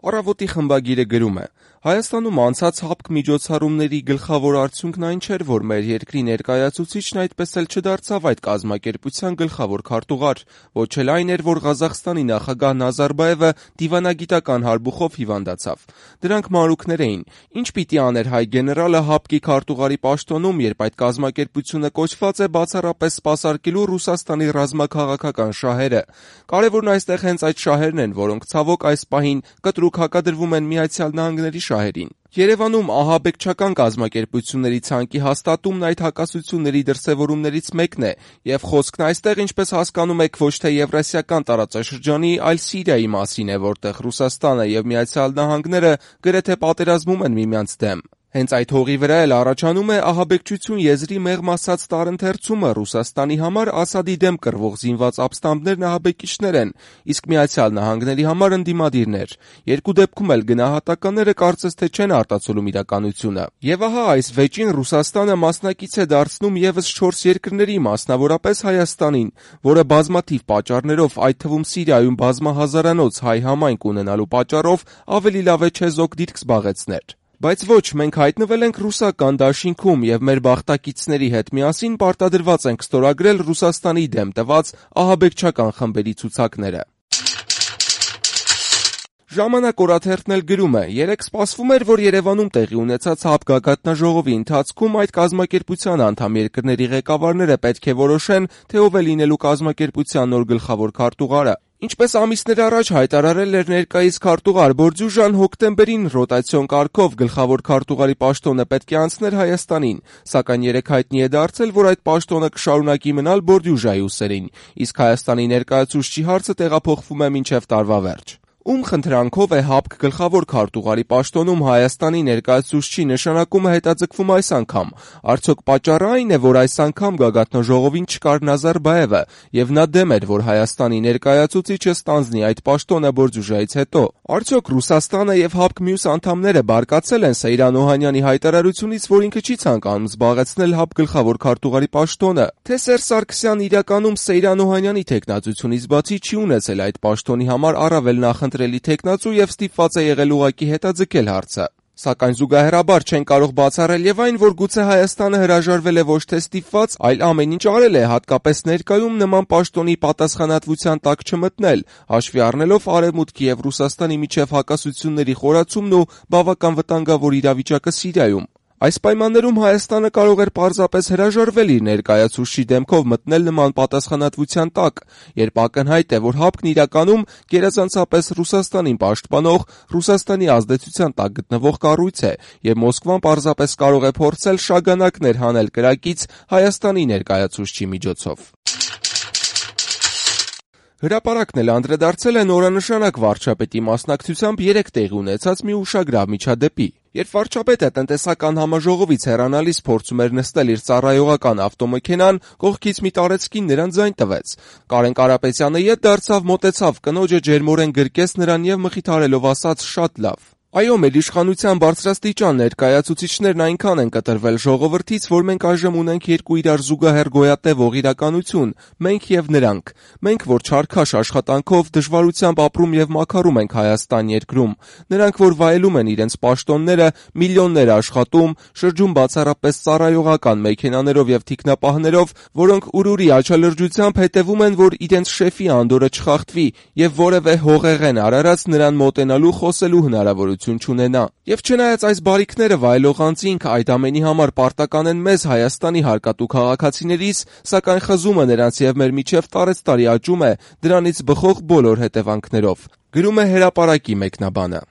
Առավոտի խմբագիրը գրում է. Հայաստանում անցած ՀԱՊԿ միջոցառումների գլխավոր արդյունքն այն չէր, որ մեր երկրի ներկայացուցիչն այդպես էլ չդարձավ այդ կազմակերպության գլխավոր քարտուղար, ոչ էլ այն էր, որ Ղազախստանի նախագահ Նազարբաևը դիվանագիտական հարբուխով հիվանդացավ։ Դրանք մանրուքներ էին։ Ինչ պիտի աներ հայ գեներալը ՀԱՊԿ-ի քարտուղարի պաշտոնում, երբ այդ կազմակերպությունը կոչված է բացառապես սպասարկելու Ռուսաստանի ռազմաքաղաքական շահերը։ Կարևորն այստեղ հենց այդ շահերն են, որոնք ցավոք այս պահին կտրուկ հակադրվում են Միացյալ Նահանգների շահերին։ Երևանում ահաբեկչական կազմակերպությունների ցանկի հաստատումն այդ հակասությունների դրսևորումներից մեկն է, եւ խոսքն այստեղ, ինչպես հասկանում եք, ոչ թե Եվրասիական տարածաշրջանի, այլ Սիրիայի մասին է, որտեղ Ռուսաստանը եւ Միացյալ Նահանգները գրեթե պատերազմում են միմյանց դեմ։ Հենց այդ հողի վրա էլ առաջանում է ահաբեկչություն եզրի մեղմ ասած տարընթերցումը Ռուսաստանի համար Ասադի դեմ կռվող զինված ապստամբներն ահաբեկիչներ են, իսկ Միացյալ Նահանգների համար ընդդիմադիրներ։ Երկու դեպքում էլ գնահատականները կարծես թե չեն արտացոլում իրականությունը։ Եվ ահա այս վեճին Ռուսաստանը մասնակից է դարձնում եւս 4 երկրների, մասնավորապես Հայաստանին, որը բազմաթիվ պատճառներով, այդ թվում Սիրիայում բազմահազարանոց հայ համայնք ունենալու պատճառով ավելի լավ է չեզոք դիրք զբաղեցներ։ Բայց ոչ, մենք հայտնվել ենք ռուսական դաշինքում եւ մեր բախտակիցների հետ միասին պարտադրված ենք ստորագրել Ռուսաստանի դեմ տված ահաբեկչական խմբերի ցուցակները։ Ժամանակ օրաթերթն էլ գրում է. երեկ սպասվում էր, որ Երևանում տեղի ունեցած ՀԱՊԿ գագաթնաժողովի ընթացքում այդ կազմակերպության անդամ երկրների ղեկավարները պետք է որոշեն, թե ով է լինելու կազմակերպության նոր գլխավոր քարտուղարը։ Ինչպես ամիսներ առաջ հայտարարել էր ներկայիս քարտուղար Բորդյուժան, հոկտեմբերին ռոտացիոն կարգով գլխավոր քարտուղարի պաշտոնը պետք է անցներ Հայաստանին, սակայն երեկ հայտնի է դարձել, որ այդ պաշտոնը կշարունակի մնալ Բորդյուժայի ուսերին, իսկ Հայաստանի ներկայացուցչի հարցը տեղափոխվում է մինչև տարվա վերջ։ Ում խնդրանքով է ՀԱՊԿ գլխավոր քարտուղարի պաշտոնում Հայաստանի ներկայացուցչի նշանակումը հետաձգվում այս անգամ։ Արդյոք պատճառը այն է, որ այս անգամ գագաթնաժողովին չկար Նազարբաևը, եւ նա դեմ էր, որ Հայաստանի ներկայացուցիչը ստանձնի այդ պաշտոնը Բորդյուժայից հետո։ Արդյոք Ռուսաստանը եւ ՀԱՊԿ մյուս անդամները բարկացել են Սեյրան Օհանյանի հայտարարությունից, որ ինքը չի ցանկանում զբաղեցնել ՀԱՊԿ գլխավոր քարտուղարի պաշտոնը։ Թե Սերժ Սարգսյանն իրականում Սեյրան Օհանյանի թեկնածությունից բացի չի ունեցել այդ պաշտոնի համար առավել նախընտրելի թեկնածու եւ ստիպված է եղել ուղղակի հետաձգել հարցը։ Սակայն զուգահեռաբար չեն կարող բացառել եւ այն, որ գուցե Հայաստանը հրաժարվել է ոչ թե ստիպված, այլ ամեն ինչ արել է, հատկապես ներկայում նման պաշտոնի պատասխանատվության տակ չմտնել, հաշվի առնելով Արևմուտքի եւ Ռուսաստանի միջև հակասությունների խորացումն ու բավական վտանգավոր իրավիճակը Սիրիայում։ Այս պայմաններում Հայաստանը կարող էր պարզապես հրաժարվել իր ներկայացուցչի դեմքով մտնել նման պատասխանատվության տակ, երբ ակնհայտ է, որ ՀԱՊԿ-ն իրականում գերազանցապես Ռուսաստանին պաշտպանող, Ռուսաստանի ազդեցության տակ գտնվող կառույց է, եւ Մոսկվան պարզապես կարող է փորձել շագանակներ հանել կրակից Հայաստանի ներկայացուցչի միջոցով։ Հրապարակն էլ անդրադարձել է նորանշանակ վարչապետի մասնակցությամբ երեկ տեղի ունեցած մի ուշագրավ միջադեպի։ Երբ վարչապետը տնտեսական համաժողովից հեռանալիս փորձում էր նստել իր ծառայողական ավտոմեքենան, կողքից մի տարեցկին նրան ձայն տվեց։ Կարեն Կարապետյանը ետ դարձավ, մոտեցավ կնոջը, ջերմորեն գրկեց նրան եւ մխիթարելով ասաց. «Շատ լավ»։ Այո, մեր իշխանության բարձրաստիճան ներկայացուցիչներն այնքան են կտրվել ժողովրդից, որ մենք այժմ ունենք երկու իրար զուգահեռ գոյատևող իրականություն՝ մենք եւ նրանք։ Մենք, որ չարքաշ աշխատանքով, դժվարությամբ ապրում եւ մաքարում ենք Հայաստան երկրում, նրանք, որ վայելում են իրենց պաշտոնները, միլիոններ աշխատում, շրջում բացառապես ծառայողական մեքենաներով եւ թիկնապահներով, որոնք ուրուրի աչալրջությամբ հետևում են, որ իրենց շեֆի անդորը չխախտվի եւ որևէ հողեղեն արարած նրան մոտենալու, խոսելու հնարավորություն չունենա։ Եվ չնայած այս բարիքները վայելող անձինք այդ ամենի համար պարտական են մեզ Հայաստանի հարկատու քաղաքացիներիս, սակայն խզումը նրանց եւ մեր միջև տարեցտարի աճում է դրանից բխող բոլոր հետևանքներով։ Գրում է Հրապարակի մեկնաբանը։